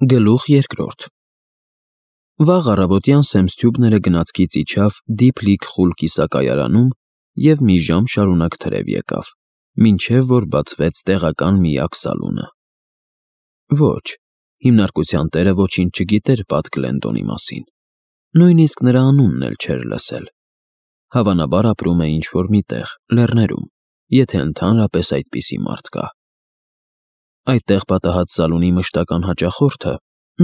Գլուխ երկրորդ Վաղ առավոտյան Սեմ Սթյուբները գնացքից իջավ դիփ-լիք խուլ կիսակայարանում և մի ժամ շարունակ թրև եկավ, մինչև որ բացվեց տեղական միակ սալունը։ Ոչ, հիմնարկության տերը ոչինչ չգիտեր Պատ Գլենդոնի մասին, նույնիսկ նրա անունն էլ չէր լսել։ Հավանաբար ապրում է ինչ-որ մի տեղ, լեռներում, եթե ընդհանրապես այդպիսի մարդ կա։ Այդտեղ պատահած սալունի մշտական հաճախորդը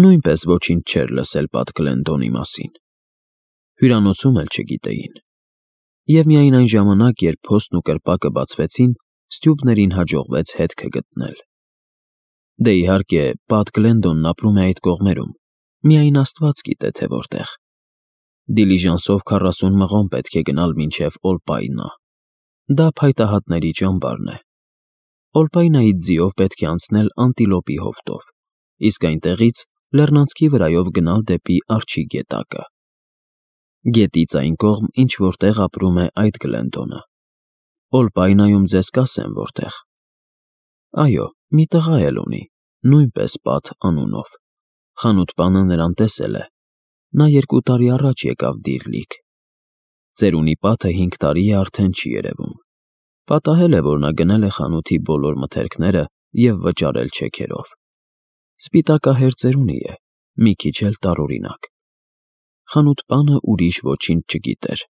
նույնպես ոչինչ չէր լսել Պատ Գլենդոնի մասին։ Հյուրանոցում էլ չգիտեին։ Եվ միայն այն ժամանակ, երբ փոստն ու կրպակը բացվեցին, Սթյուբներին հաջողվեց հետքը գտնել։ Դե իհարկե, Պատ Գլենդոնն ապրում է այդ կողմերում, միայն Աստված գիտե, թե որտեղ։ Դիլիժանսով 40 մղոն պետք է գնալ մինչև Օլպայնա։ Դա փայտահատների ճամբարն է։ Օլպայնայից ձիով պետք է անցնել Անտիլոպի հովտով, իսկ այնտեղից լեռնանցքի վրայով գնալ դեպի Արջի գետակը։ Գետից այն կողմ ինչ-որտեղ ապրում է այդ Գլենդոնը։ Օլպայնայում ձեզ կասեմ որտեղ։ Այո, մի տղա էլ ունի, նույնպես Պատ անունով։ Խանութպանը նրան տեսել է։ Նա 2 տարի առաջ եկավ Դիր-Լիք։ Ծերունի Պատը 5 տարի է արդեն չի երևում։ Պատահել է, որ նա գնել է խանութի բոլոր մթերքները և վճարել չեքերով։ Սպիտակահեր ծերունի է, մի քիչ էլ տարօրինակ։ Խանութպանը ուրիշ ոչինչ չգիտեր,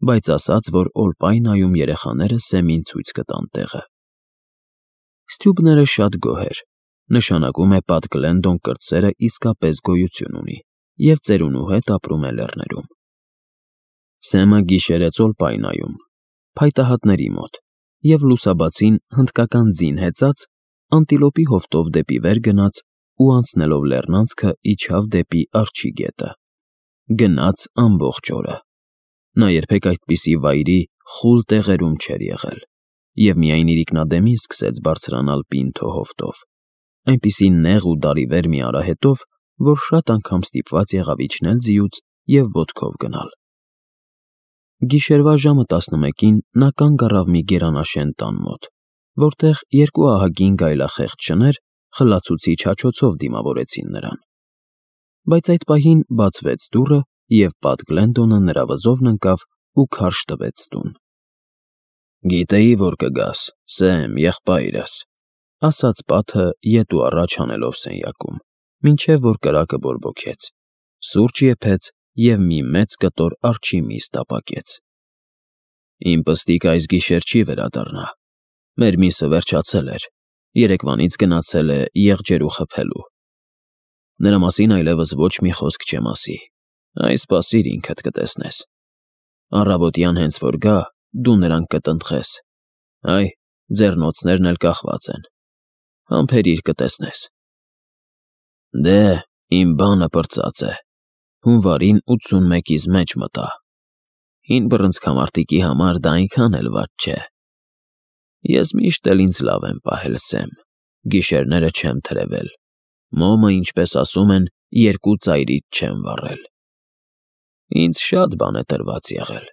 բայց ասաց, որ Օլպայնայում երեխաները Սեմին ցույց կտան տեղը։ Սթյուբները շատ գոհ էր, նշանակում է Պատ Գլենդոն կրտսերը իսկապես գոյություն ունի և ծերունու հետ ապրում է լեռներում։ Սեմը գիշերեց Օլպայնայում, փայտահատների մոտ, և լուսաբացին հնդկական ձին հեծած Անտիլոպի հովտով դեպի վեր գնաց ու անցնելով լեռնանցքը իջավ դեպի Արջի գետը։ Գնաց ամբողջ օրը։ Նա երբեք այդպիսի վայրի խուլ տեղերում չէր եղել և միայն իրիկնադեմին սկսեց բարձրանալ Պինթո հովտով, այնպիսի նեղ ու դարիվեր մի արահետով, որ շատ անգամ ստիպված եղավ իջնել ձիուց և ոտքով գնալ։ Գիշերվա ժամը 11-ին նա կանգ առավ մի գերանաշեն տան մոտ, որտեղ 2 ահագին գայլախեղճ շներ խլացուցիչ հաչոցով դիմավորեցին նրան։ Բայց այդ պահին բացվեց դուռը, և Պատ Գլենդոնը նրա վզովն ընկավ ու քարշ տվեց տուն։ «Գիտեի, որ կգաս, Սեմ, եղբայրս», ասաց Պատը ետ ու առաջ հանելով սենյակում, մինչև որ կրակը բորբոքեց, սուրճ եփեց և մի մեծ կտոր արջի միս տապակեց։ «Իմ պստիկը այս գիշեր չի վերադառնա։ Մեր միսը վերջացել էր, երեկվանից գնացել է եղջերու խփելու։ Նրա մասին այլևս ոչ մի խոսք չեմ ասի, այ սպասիր ինքդ կտեսնես։ Առավոտյան հենց որ գա, դու նրան կտնտղես, այ ձեռնոցներն էլ կախված են, համբերիր կտեսնես»։ Դե, իմ բանը պրծած է, հունվարին 81-ից մեջ մտա։ Հին բռնցքամարտիկի համար դա այնքան էլ վատ չէ։ Ես միշտ էլ ինձ լավ եմ պահել, Սեմ, գիշերները չեմ թրևել, մոմը, ինչպես ասում են, 2 ծայրից չեմ վառել։ Ինձ շատ բան է տրված եղել,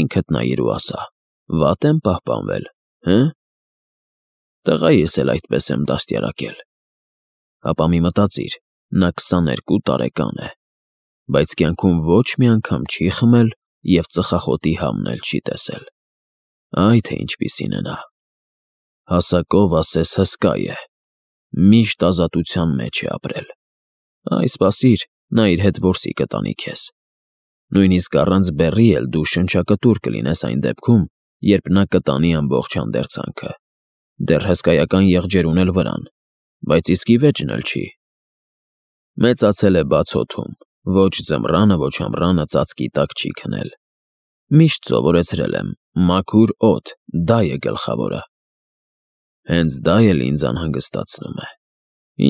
ինքդ նայիր ու ասա, վատ եմ պահպանվել, հը՞։ Տղայիս էլ այդպես եմ դաստիարակել։ Ապա մի մտածիր, նա 22 տարեկան է, բայց կյանքում ոչ մի անգամ չի խմել և ծխախոտի համն էլ չի տեսել։ Այ թե ինչպիսին է նա։ Հասակով ասես հսկա է, միշտ ազատության մեջ է ապրել։ Այ սպասիր, նա իր հետ որսի կտանի քեզ։ Նույնիսկ առանց բեռի էլ դու շնչակտուր կլինես այն դեպքում, երբ նա կտանի ամբողջ հանդերձանքը։ Դեռ հսկայական եղջերուն էլ վրան, բայց իսկ ի վեճն էլ չի։ Մեծացել է բաց օդում, ոչ ձմռանը, ոչ ամռանը ծածկի տակ չի քնել։ Միշտ սովորեցրել եմ, մաքուր օդ, դա է գլխավորը։ Հենց դա էլ ինձ անհանգստացնում է։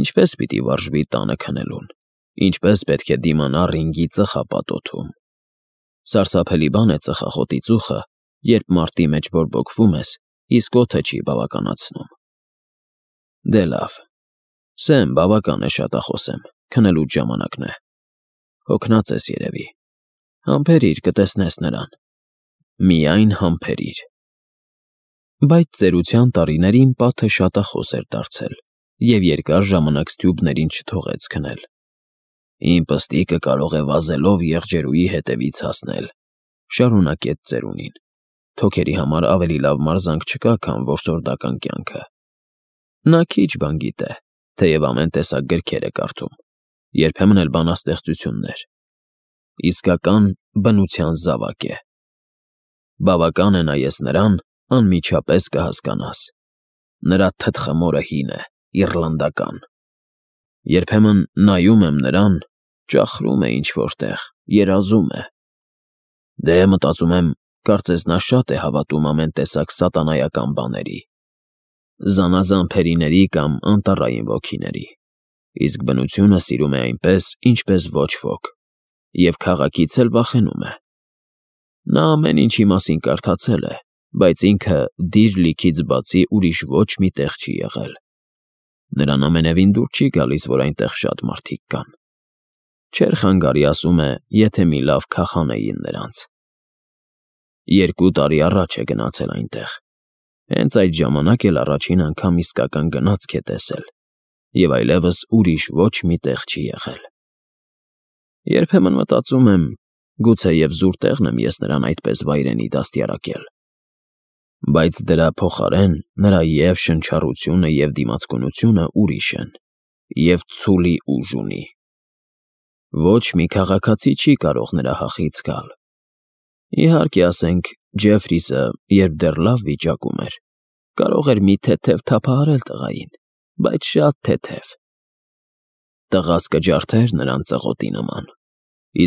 Ինչպես պիտի վարժվի տանը քնելուն, ինչպես պետք է դիմանա ռինգի ծխապատոթում։ Սարսափելի բան է ծխախոտի ծուխը, երբ մարտի մեջ բորբոքվում ես, իսկ օդը չի բավականացնում։ Դե լավ, Սեմ, բավական է շատախոսեմ, քնելուց ժամանակն է։ Հոգնած ես երևի։ Համբերիր կտեսնես նրան։ Միայն համբերիր։ Բայց ծերության տարիներին Պատը շատախոս էր դարձել և երկար ժամանակ Ստյուբներին չթողեց քնել։ «Իմ պստիկը կարող է վազելով եղջերուի հետևից հասնել», շարունակեց ծերունին։ «Թոքերի համար ավելի լավ մարզանք չկա, քան որսորդական կյանքը։ Նա քիչ բան գիտե, թեև ամեն տեսակ գրքեր է կարդում, երբեմն էլ բանաստեղծություններ։ Իսկական բնության զավակ է։ Բավական է նայես նրան, անմիջապես կհասկանաս։ Նրա թթխմորը հին է, իռլանդական։ Երբեմն նայում եմ նրան, ճախրում է ինչ-որտեղ, երազում է։ Դե մտածում եմ, կարծես նա շատ է հավատում ամեն տեսակ սատանայական բաների, զանազան փերիների կամ անտառային ոգիների, իսկ բնությունը սիրում է այնպես, ինչպես ոչ ոք, և քաղաքից էլ վախենում է։ Նա ամեն ինչի մասին կարդացել է, բայց ինքը դիր լիքից բացի ուրիշ ոչ մի տեղ չի եղել։ Նրան ամենևին դուր չի գալիս, որ այնտեղ շատ մարդիկ կան։ Չէր խանգարի, ասում է, եթե մի լավ քախանեին նրանց։ 2 տարի առաջ է գնացել այնտեղ։ Հենց այդ ժամանակ էլ առաջին անգամ իսկական գնացք է տեսել, և այլևս ուրիշ ոչ մի տեղ չի եղել։ Երբեմն մտածում եմ, գուցեև զուր տեղն եմ ես նրան այդպես վայրենի դաստիարակել։ Բայց դրա փոխարեն նրա և շնչառությունը, և դիմացկունությունը ուրիշ են, և ցուլի ուժ ունի։ Ոչ մի քաղաքացի չի կարող նրա հախից գալ։ Իհարկե, ասենք, Ջեֆրիսը, երբ դեռ լավ վիճակում էր, կարող էր մի թեթև թափահարել տղային, բայց շատ թեթև։ Տղաս կջարդեր նրան ծղոտի նման,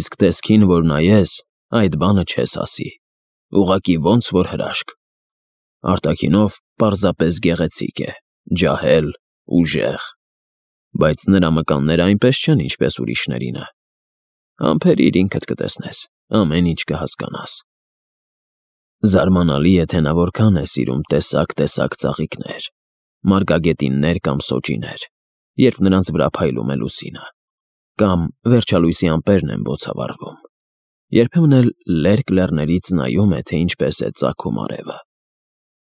իսկ տեսքին որ նայես, այդ բանը չես ասի, ուղղակի ոնց որ հրաշք։ Արտաքինով պարզապես գեղեցիկ է, ջահել, ուժեղ, բայց նրա մկանները այնպես չեն, ինչպես ուրիշներինը։ Համբերիր, ինքդ կտեսնես, ամեն ինչ կհասկանաս։ Զարմանալի է, թե նա որքան է սիրում տեսակ ծաղիկներ, մարգագետիններ կամ սոճիներ, երբ նրանց վրա փայլում է լուսինը, կամ վերջալույսի ամպերն են բոցավառվում։ Երբեմն էլ լերկ լեռներից նայում է, թե ինչպես է ծագում արևը,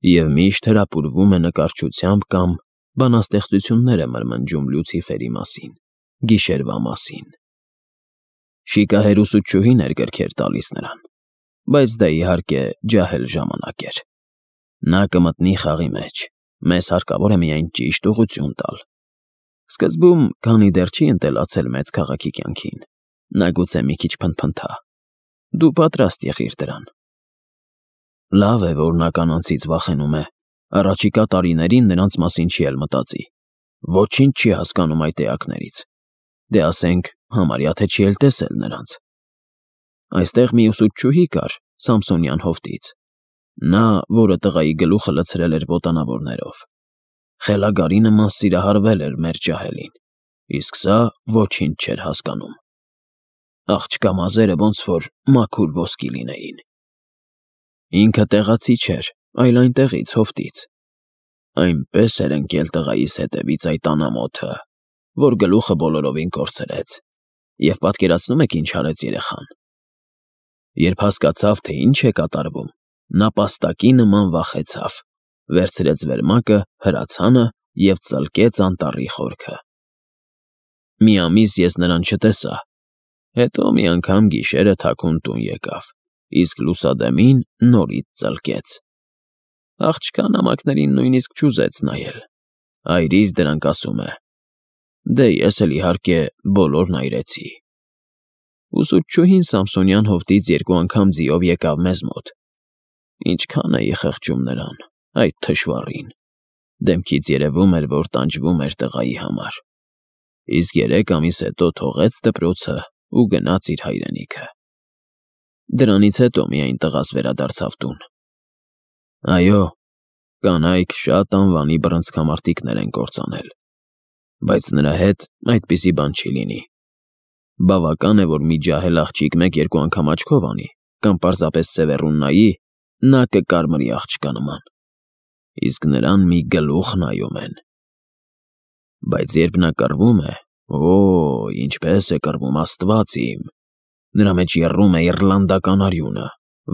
և միշտ հրապուրվում է նկարչությամբ կամ բանաստեղծություններ է մրմնջում Լյուցիֆերի մասին, գիշերվա մասին։ Շիկահեր ուսուցչուհին էր գրքեր տալիս նրան, բայց դա իհարկե ջահել ժամանակ էր։ Նա կմտնի խաղի մեջ, մեզ հարկավոր է միայն ճիշտ ուղղություն տալ։ Սկզբում, քանի դեռ չի ընտելացել մեծ քաղաքի կյանքին, նա գուցե մի քիչ փնթփնթա։ Դու պատրաստ եղիր դրան։ Լավ է, որ նա կանանցից վախենում է, առաջիկա տարիներին նրանց մասին չի էլ մտածի։ Ոչինչ չի հասկանում այդ էակներից։ Դե ասենք, համարյա թե չի էլ տեսել նրանց։ Այստեղ մի ուսուցչուհի կար Սամսոնյան հովտից, նա, որը տղայի գլուխը լցրել էր ոտանավորներով։ Խելագարի նման սիրահարվել էր մեր ջահելին, իսկ սա ոչինչ չէր հասկանում։ Աղջկա մազերը ոնց որ մաքուր ոսկի լինեին։ Ինքը տեղացի չէր, այլ այնտեղից հովտից։ Այնպես էր ընկել տղայիս հետևից այդ անամոթը, որ գլուխը բոլորովին կորցրեց, և պատկերացնում եք ինչ արեց երեխան։ Երբ հասկացավ, թե ինչ է կատարվում, նա պաստակի նման վախեցավ, վերցրեց վերմակը, հրացանը և ծլկեց անտառի խորքը։ Մի ամիս ես նրան չտեսա, հետո մի անգամ գիշերը թաքուն տուն եկավ, իսկ լուսադեմին նորից ծլկեց։ Աղջկա նամակներին նույնիսկ չուզեց նայել, այրիր դրանք, ասում է։ Դե ես էլ իհարկե բոլորն այրեցի։ Ուսուցչուհին Սամսոնյան հովտից 2 անգամ ձիով եկավ մեզ մոտ։ Ինչքան էի խղճում նրան, այդ թշվառին։ Դեմքից երևում էր, որ տանջվում էր տղայի համար։ Իսկ 3 ամիս հետո թողեց դպրոցը ու գնաց իր հայրենիքը։ Դրանից հետո միայն տղաս վերադարձավ տուն։ Այո, կանայք շատ անվանի բռնցքամարտիկներ են կործանել, բայց նրա հետ այդպիսի բան չի լինի։ Բավական է, որ մի ջահել աղջիկ 1-2 անգամ աչքով անի, կամ պարզապես սևեռուն նայի, նա կկարմրի աղջկա նման, իսկ նրան մի գլուխ նայում են։ Բայց երբ նա կռվում է, ինչպես է կռվում, Աստված իմ, նրա մեջ եռում է իռլանդական արյունը,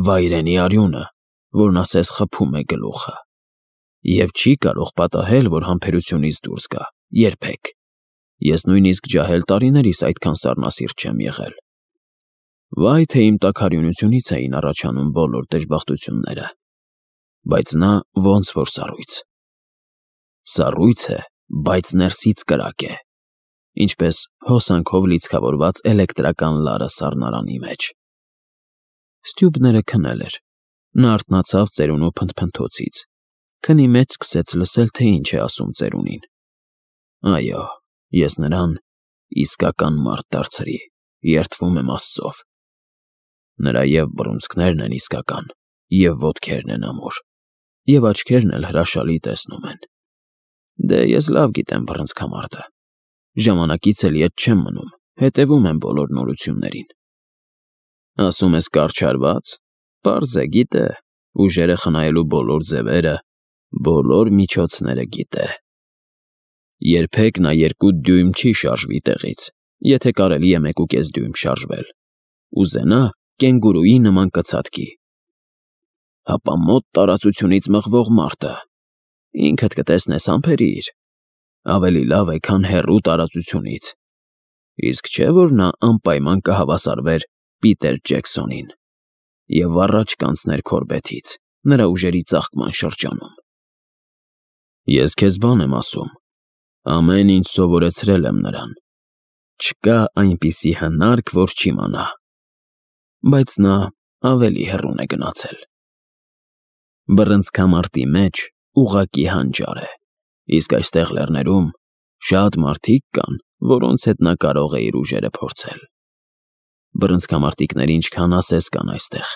վայրենի արյունը, որն ասես խփում է գլուխը, և չի կարող պատահել, որ համբերությունից դուրս գա, երբեք։ Ես նույնիսկ ջահել տարիներիս այդքան սառնասիրտ չեմ եղել։ Վայ, թե իմ տաքարյունությունից էին առաջանում բոլոր դժբախտությունները։ Բայց նա ոնց որ սառույց։ Սառույց է, բայց ներսից կրակ է, ինչպես հոսանքով լիցքավորված էլեկտրական լարը սառնարանի մեջ։ Ստյուբները քնել էր։ Նա արթնացավ ծերունու փնթփնթոցից։ Քնի մեջ սկսեց լսել, թե ինչ է ասում ծերունին։ Այո, ես նրան իսկական մարդ դարձրի, երդվում եմ Աստծով։ Նրա և բռունցքներն են իսկական, և ոտքերն են ամուր, և աչքերն էլ հրաշալի տեսնում են։ Դե ես լավ գիտեմ բռնցքամարտը։ Ժամանակից էլ ետ չեմ մնում, հետևում եմ բոլոր նորություններին։ Ասում ես կառչարված, պարզ է, գիտե, ուժերը խնայելու բոլոր ձևերը, բոլոր միջոցները գիտե։ Երբեք նա 2 դյույմ չի շարժվի տեղից, եթե կարելի է 1.5 դյույմ շարժվել։ Ուզենա, կենգուրուի նման կցատկի։ Հապա մոտ տարածությունից մղվող մարտը, ինքդ կտեսնես համբերիր, ավելի լավ է, քան հեռու տարածությունից։ Իսկ չէ՞ որ նա անպայման կհավասարվեր Պիտեր Ջեքսոնին և առաջ կանցներ Քորբեթից, նրա ուժերի ծաղկման շրջանում։ Ես քեզ բան եմ ասում, ամեն ինչ սովորեցրել եմ նրան։ Չկա այնպիսի հնարք, որ չիմանա։ Բայց նա ավելի հեռուն է գնացել։ Բռնցքամարտի մեջ ուղղակի հանճար է, իսկ այստեղ լեռներում շատ մարդիկ կան, որոնց հետ նա կարող է իր ուժերը փորձել։ Բռնցքամարտիկները ինչքան ասես կան այստեղ։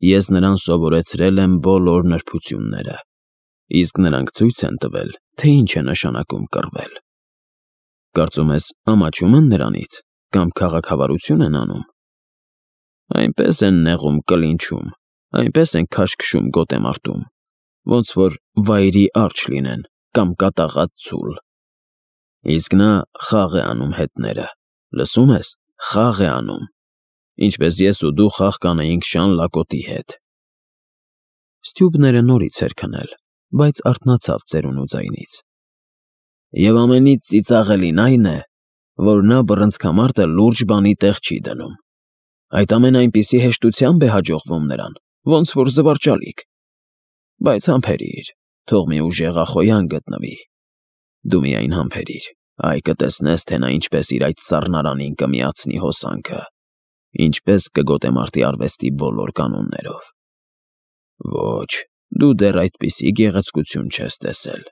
Ես նրան սովորեցրել եմ բոլոր նրբությունները, իսկ նրանք ցույց են տվել, թե ինչ է նշանակում կռվել։ Կարծում ես ամաչում են նրանից կամ քաղաքավարություն են անում։ Այնպես են նեղում կլինչում, այնպես են քաշքշում գոտեմարտում, ոնց որ վայրի արջ լինեն կամ կատաղած ցուլ։ Իսկ նա խաղ է անում հետները, լսում ես, խաղ է անում, ինչպես ես ու դու խաղ կանեինք Շան Լակոտի հետ։ Ստյուբները նորից էր քնել, բայց արթնացավ ծերունու ձայնից։ Եվ ամենից ծիծաղելին այն է, որ նա բռնցքամարտը լուրջ բանի տեղ չի դնում։ Այդ ամենը այնպիսի հեշտությամբ է հաջողվում նրան, ոնց որ զվարճալիք։ Բայց համբերիր, թող մի ուժեղ ախոյան գտնվի։ Դու միայն համբերիր, այ կտեսնես, թե նա ինչպես իր այդ սառնարանին կմիացնի հոսանքը, ինչպես կգոտեմարտի արվեստի բոլոր կանոններով։ Ոչ, դու դեռ այդպիսի գեղեցկություն չես տեսել։